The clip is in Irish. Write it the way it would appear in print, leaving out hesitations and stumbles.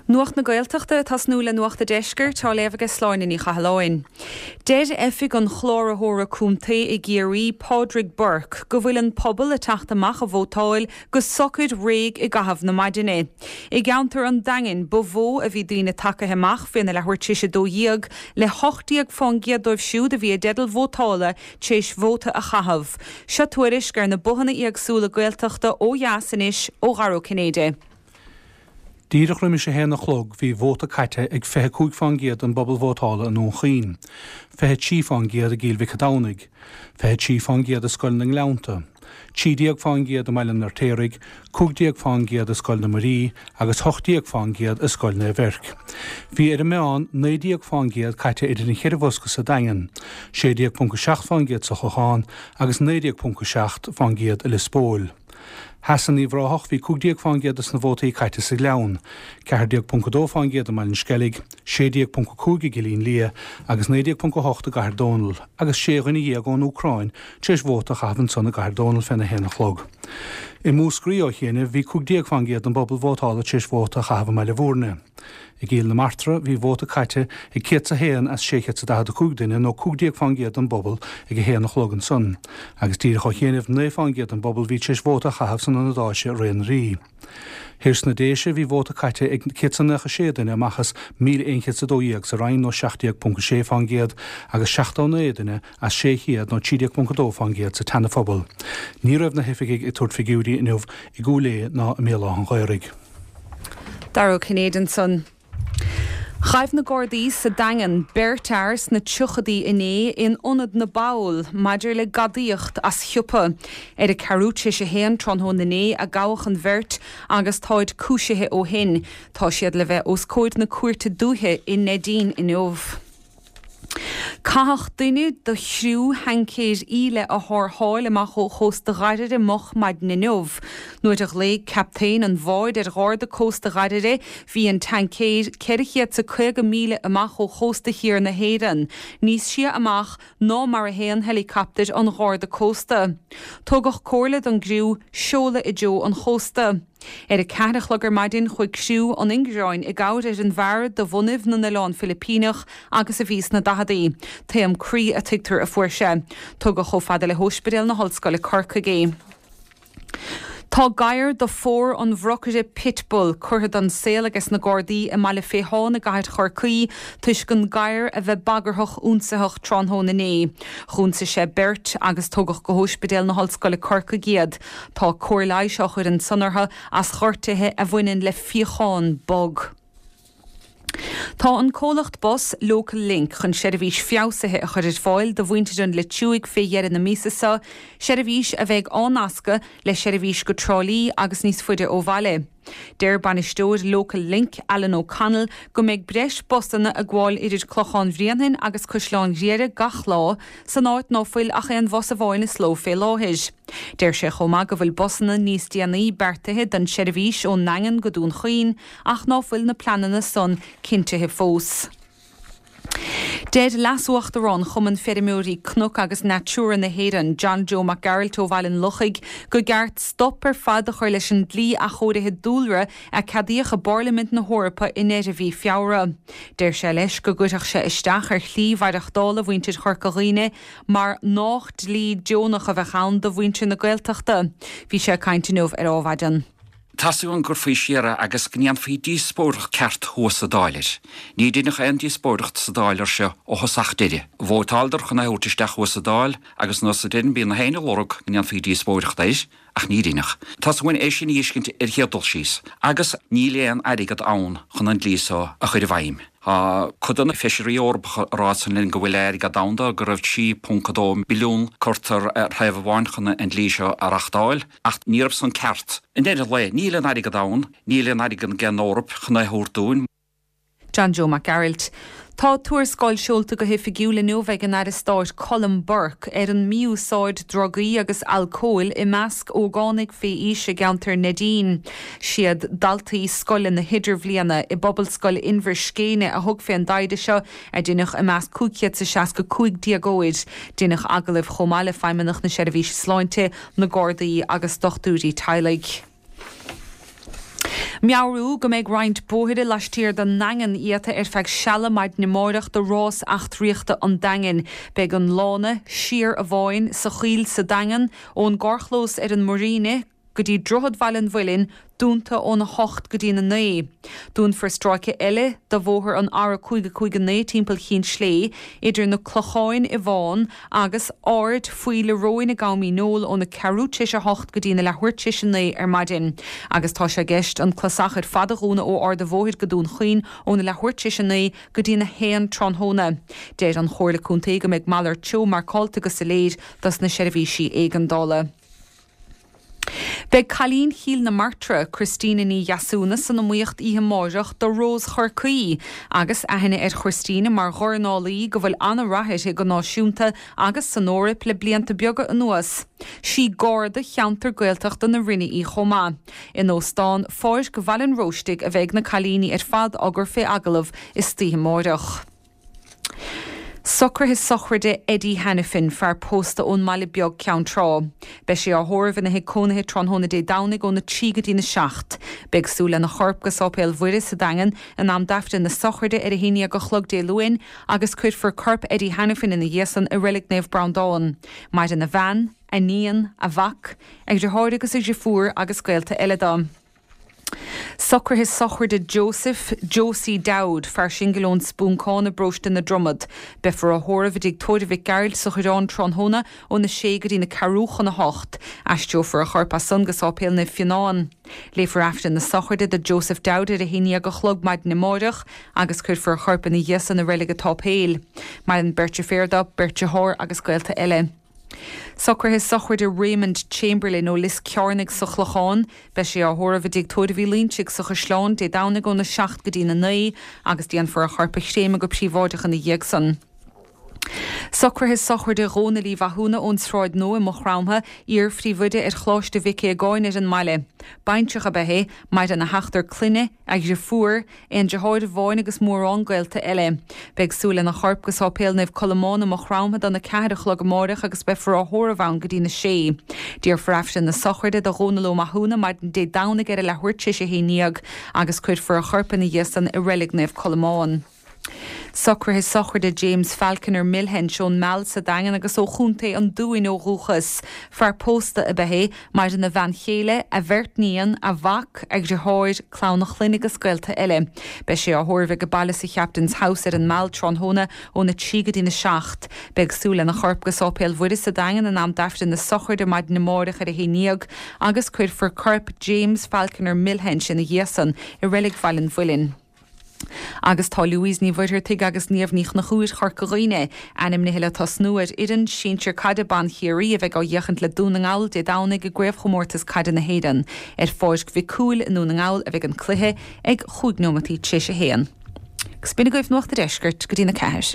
Nuacht na Gaeltachta ag tosnú le Nuacht a' Deiscirt, á léamh aige Sláine Ní Chathalláin. Deir Oifig an Chláraitheora Contae i gCiarraí, Pádraig Burke, go bhfuil an pobal ag teacht amach a vótáil go socair réidh i gcaitheamh na maidine. I gceantar an Daingin ba mhó a bhí daoine tagaithe amach féna leathuair tar éis 12, le 18% dóibh siúd a bhí i dteideal vótála tar éis vóta a chaitheamh. Seo tuairisc ar na bothanna éagsúla Gaeltachta ó dheas anois ó Dhara Ó Cinnéide. Díreach roimis a haon a chlog bhí vóta caite ag 25 fán gcéad den bpobal vótála i nDún Chaoin, 23 fán gcéad i gCill Mhic an Domhnaigh, 23 fán gcéad i Scoil na nGleannta, 13 fán gcéad i mBaile an Fheirtéaraigh, 15 fán gcéad i Scoil na Muirí agus 18 fán gcéad i Scoil Naomh Eirc. Bhí ar an meán 19 fán gcéad caite idir an cheithre bhosca sa Daingean, 16.7 fán gcéad sa Chlochán agus 19.7 fán gcéad i Lios Póil. Theas in Uíbh Ráthach bhí 15 fán gcéad des na vótaí caite sa Ghleann, 14.2 fán gcéad i mBaile an Sceilg, 16.5 i gCillín Liath agus 19.8 i gCathair Dónall agus sé dhuine dhéag ón Úcráin tar éis vóta a chaitheamh ansan i gCathair Dónall féna haon a chlog. I Múscraí ó chianaibh bhí 15 fán gcéad den bpobal vótála tar éis vóta a chaitheamh i mBaile Bhúirne. I gCill na Martra, bhí vóta caite ag 101 as 645 duine, nó 15 fán gcéad den bpobal, ag a haon a chlog ansan. Agus díreach ó chianaibh, 9 fán gcéad den bpobal bhí tar éis vóta a chaitheamh san ionad áise Rae na Rí. Thoir sna Déise, bhí vóta caite ag 196 duine amach as 1,112 sa Rinn, nó 17.6 fán gcéad, agus 79 duine as 600, nó 13.2 fán gcéad, sa tSeana-Phobal. Ní raibh na hoifigigh ag tabhairt figiúirí inniu i gCúil Aodha ná i mBéal Átha'n Ghaorthaidh. Dara Ó Cinnéide ansan. Ghaibh na Gardaí sa Daingean beirt fhear sna tríochadaí inné in Ionad na bPoll maidir le gadaíocht as shiopa. Ar a ceathrú tar éis a haon tráthnóna inné a gabhadh an bheirt agus táid cúisithe ó shin. Tá siad le bheith os comhair na Cúirte Dúiche i Neidín inniu. Caitheadh duine de chriú thaincéir íle a tharrtháil amach ó chósta Dháirire moch maidin inniu. Nuair a ghlaoigh captaen an bháid ar Gharda Cósta Dháirire bhí an taincéir 450 míle amach ó chósta thiar na hÉireann, níos sia amach ná mar a théann heileacaptair an Gharda Cósta. Tugadh comhairle don gcriú seoladh i dtreo an chósta. Ar a ceathair a chlog ar maidin chuaigh criú an Inchreáin i gcabhair ar an bhfear de bhunaibh na nOileán Filipíneach agus a bhí sna daicheadaí. Taom croí a tuigtear a fuair sé. Tugadh chomh fada le hÓispidéal na hOllscoile Corcaigh é. Tá gadhar de phór an bhrocaire Pitbull curtha den saol ages na Gardaí i mBaile Féitháin i gcathair Chorcaí toisc an gadhar a bheith bagarthach ionsaitheach tráthnóna inné. Dh'ionsaigh sé beirt agus tugadh go hÓispidéal na hOllscoile Corcaigh iad. Tá cóir leighis á chur ansan orthu as gortuithe a bhaineann le fíochán bog. Tá an comhlacht bus Local Link chun seirbhís feabhsaithe a chur ar fáil do mhuintir an Leitriúigh fé dheireadh na míosa seo, seirbhís a bheidh á nascadh le seirbhís go Trá Lí agus níos faide ó bhaile. Deir bainisteoir Local Link, Alan O'Connell, go mbeidh breis busanna ag gabháil idir Clochán Bhréanainn agus Caisleán Ghriaire gach lá, san áit ná fuil ach aon bhus amháin is ló fé láthair. Deir sé chomh maith go bhfuil busanna níos déanaí beartaithe don tseirbhís ón nDaingean go Dún Chaoin ach ná fuil na pleananna san cinntithe fós. Deir Leas-Uachtarán Chumann Feirmeoirí Cnoc agus Natura na hÉireann, John Joe Mac Gearailt ó Bhaile an Lochaigh, go gceart stop ar fad a chur leis an dlí athchóirithe dúlra a ceadaíodh i bPairlimint na hEorpa i ndeireadh mhí Feabhra. Deir sé leis go gcuirfeadh sé isteach ar shlí mhaireachtála mhuintir Chorca Dhuibhne mar nách dlí deonach a bheadh ann do mhuintir na Gaeltachta. Bhí sé ag caint inniu ar Ádhmhaidin. Tá's agam go gcuirfí siar é agus go ndéanfaí díospóireacht ceart thuas sa Dáil air. Ní deineadh aon díospóireacht sa Dáil air seo ó thosach deireadh. Vótáileadar chun é a thabhairt isteach thuas sa Dáil agus anuas sa deireadh bíonn na héinne ag lorg go ndéanfaí díospóireacht air ach ní rinneadh. Tá's againn é sin a fheiscint ar chéad dul síos. Agus níl aon airgead ann chun an dlí so a chur i bhfeidhm. Tá cuid de na feisirí Eorpacha ag rá san linn go bhfuil airgead ann dó, go raibh 3.2 billiún curtha ar thaobh amháin chun an dlí seo a reachtáil, ach ní raibh san ceart. I ndeireadh lae, níl an airgead ann, níl aon airgead ag an Eoraip chun é a thabhairt dúinn. John Joe Mac Gearailt. Tá tuarascáil seolta go hoifigiúil inniu ag an Aire Stáit Colm Burke ar an mí-úsáid drugaí agus alcóil i measc ógánaigh fé aois i gceantar Neidín. Siad daltaí scoile na hIdirbhliana i bPobalscoil Inbhir Scéine a thug fén dtaighde seo, a deineadh i measc 565 déagóir. Deineadh agallaimh chomh maith le Feidhmeannach na Seirbhíse Sláinte, na Gardaí agus dochtúirí teaghlaigh. Meabhrú go mbeidh roinnt bóithre laistiar den nDaingean iata ar feadh seala maidin amáireach do rás eachtraíochta an Daingin. Beidh an lána siar amháin sa choill sa Daingean, ón gcarrchlós ar an Muiríne go dtí Droichead Bhaile an Mhuilinn, dúnta óna 8 go dtína 9. Dúnfar stráice eile de bhóthar an R559 timpeall Chinn Slé, idir na Clocháin i bhFán agus Ard Phoill a' Róin i gCam Uí Neoil óna ceathrú tar éis a hocht go dtína leathuair tar éis a naoi ar maidin. Agus tá sé i gceist an clasach ar fad a dhúnadh ó Ard a' Bhóthair go Dún Chaoin óna leathuair tar éis a naoi go dtína haon tráthnóna. Deir an Chomhairle Contae go mbeidh malairt treo marcáilte go soiléir dos na seirbhísí éigeandála. Beidh cailín Chill na Martra, Christina Ní Dheasúna, san iomaíocht oíche amáireach do Rós Chorcaí agus aithne ar Christina mar dhornálaí go bhfuil an-rath uirthi go náisiúnta agus san Eoraip le blianta beaga anuas. Sí Garda cheantar Gaeltachta na Rinne í chomh maith. In Óstán Pháirc Bhaile an Róistigh a bheidh na cailíní ar fad á gcur fé agallamh istoíche amáireach. Socruithe sochraide Eddie Hanafin, fear pósta ón mBaile Beag, Ceann Trá. Beidh sé á thórramh ina thigh cónaithe tráthnóna Dé Domhnaigh óna 3 go dtína 7. Beidh súil lena chorp go Sáipéal Mhuire sa Daingean in am d'Aifreann na sochraide ar a haon dhéag a chlog Dé Luain agus cuirfear corp Eddie Hanafin ina dhiaidh san i Reilig Naomh Breandán. Maireann a bhean, a níon, a mhac, a dhriotháir agus a dhriofúr agus gaolta eile dó. Socruithe sochraide Joseph Josie Dowd, fear singil ón Spúncán i bparóiste na Dromad. Beifear á thórramh i dtigh tórraimh Mhic Gearailt sa Choireán tráthnóna óna sé go dtí na ceathrú chun a hocht. Aistreofar a chorp as san go Sáipéal Naomh Fionán. Léifear Aifreann na sochraide do Joseph Dowd ar a haon dhéag a chlog maidin amáireach agus cuirfear a chorp ina dhiaidh san i Reilig an tSáipéil. Maireann beirt deirféar dó, beirt dearthár agus gaolta eile. Socruithe sochraide Raymond Chamberlain ó Lios Cearnaigh sa Chlochán. Beidh sé á thórramh i dTigh Tórraimh Uí Loinsigh sa Chaisleán Dé Domhnaigh óna 7 go dtína 9 agus déanfar a chorp a chréamadh go príobháideach ina dhiaidh san. Socruithe sochraide Dhónaill Uí Mhathúna ón Sráid Nua i Maigh Chromtha, iar-phríomhoide ar Choláiste Mhic Aogáin ar an mbaile. Baintreach ab ea é, maireann a sheachtar clainne, a dhriofúr, Aon deartháir amháin agus mórán gaolta eile. Beidh súil lena chorp go Sáipéal Naomh Colmán i Maigh Chromtha dona ceathair a chlog amáireach agus beifear á thórramh ann go dtína sé. Déarfar Aifreann na sochraide do Dhónal Ó Mathúna maidin Dé Domhnaigh ar a leathuair tar éis a haon dhéag agus cuirfear a chorp ina dhiaidh san i Reilig Naomh Colmán. Socruithe sochraide James Falconer Milhench ón Meall sa Daingean agus ó Chontae an Dúin ó dhúchas. Fear pósta ab ea é. Maireann a bhean chéile, a bheirt níon, a mhac, a dhriotháir, clann a chlainne agus gaolta eile. Beidh sé á thórramh age baile sa Chaptain's House ar an Meall tráthnóna óna 3 go dtína 7. Beidh súil lena chorp go Sáipéal Mhuire sa Daingean in am d'Aifreann na sochraide maidin amáireach ar a haon dhéag agus cuirfear corp James Falconer Milhench ina dhiaidh san i Reilig Bhaile an Mhuilinn. Agus tá Louise Ní Mhuircheartaigh agus Niamh Ní Chonchúir Chorca Dhuibhne ainmnithe le tosnú ar fhoireann sinsir caide ban Chiarraí a bheidh á fhéachaint le Dún na nGall Dé Domhnaigh i gCraobhchomórtas Caide na hÉireann. Ar Pháirc Mhic Cumhaill i nDún na nGall a bheidh an cluiche ag chúig nóimeataí tar éis a haon. Agus b'in agaibh Nuacht a' Deiscirt go dtí'n 4.